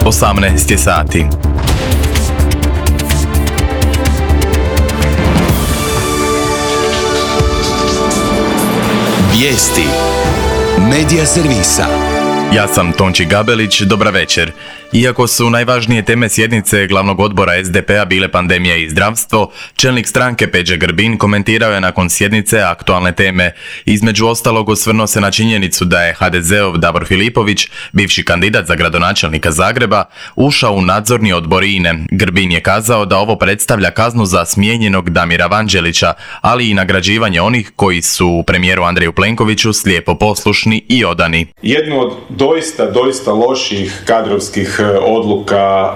18 je sati. Vijesti Medija servisa. Ja sam Tonči Gabelić, dobra večer. Iako su najvažnije teme sjednice glavnog odbora SDP-a bile pandemija i zdravstvo, čelnik stranke Peđa Grbin komentirao je nakon sjednice aktualne teme. Između ostalog osvrnuo se na činjenicu da je HDZ-ov Davor Filipović, bivši kandidat za gradonačelnika Zagreba, ušao u nadzorni odbor INA-e. Grbin je kazao da ovo predstavlja kaznu za smijenjenog Damira Vanđelića, ali i nagrađivanje onih koji su premijeru Andreju Plenkoviću slijepo poslušni i odani. Jednu od doista loših kadrovskih odluka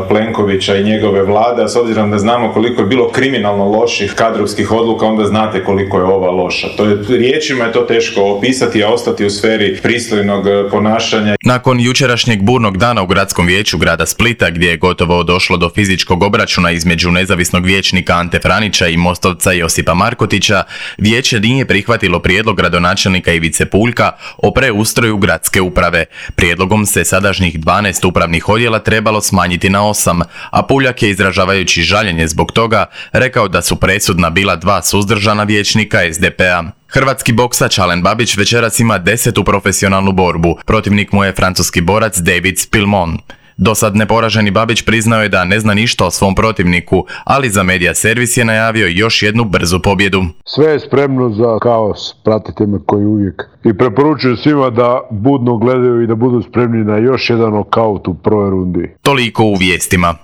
Plenkovića i njegove vlade, a s obzirom da znamo koliko je bilo kriminalno loših kadrovskih odluka, onda znate koliko je ova loša. Riječima je to teško opisati, a ostati u sferi pristojnog ponašanja. Nakon jučerašnjeg burnog dana u gradskom vijeću grada Splita, gdje je gotovo došlo do fizičkog obračuna između nezavisnog vijećnika Ante Franića i mostovca Josipa Markotića, vijeće nije prihvatilo prijedlog gradonačelnika Ivice Puljka o preustroju gradske uprave. Prijedlogom se sadašnjih 12 upravnih odjela trebalo smanjiti na 8, a Puljak je, izražavajući žaljenje zbog toga, rekao da su presudna bila 2 suzdržana vijećnika SDP-a. Hrvatski boksač Alen Babić večeras ima 10. profesionalnu borbu. Protivnik mu je francuski borac David Spilmon. Dosad neporaženi Babić priznao je da ne zna ništa o svom protivniku, ali za Medija servis je najavio još jednu brzu pobjedu. Sve je spremno za kaos, pratite me koji uvijek. I preporučujem svima da budno gledaju i da budu spremni na još jedan nokaut u prvoj rundi. Toliko u vijestima.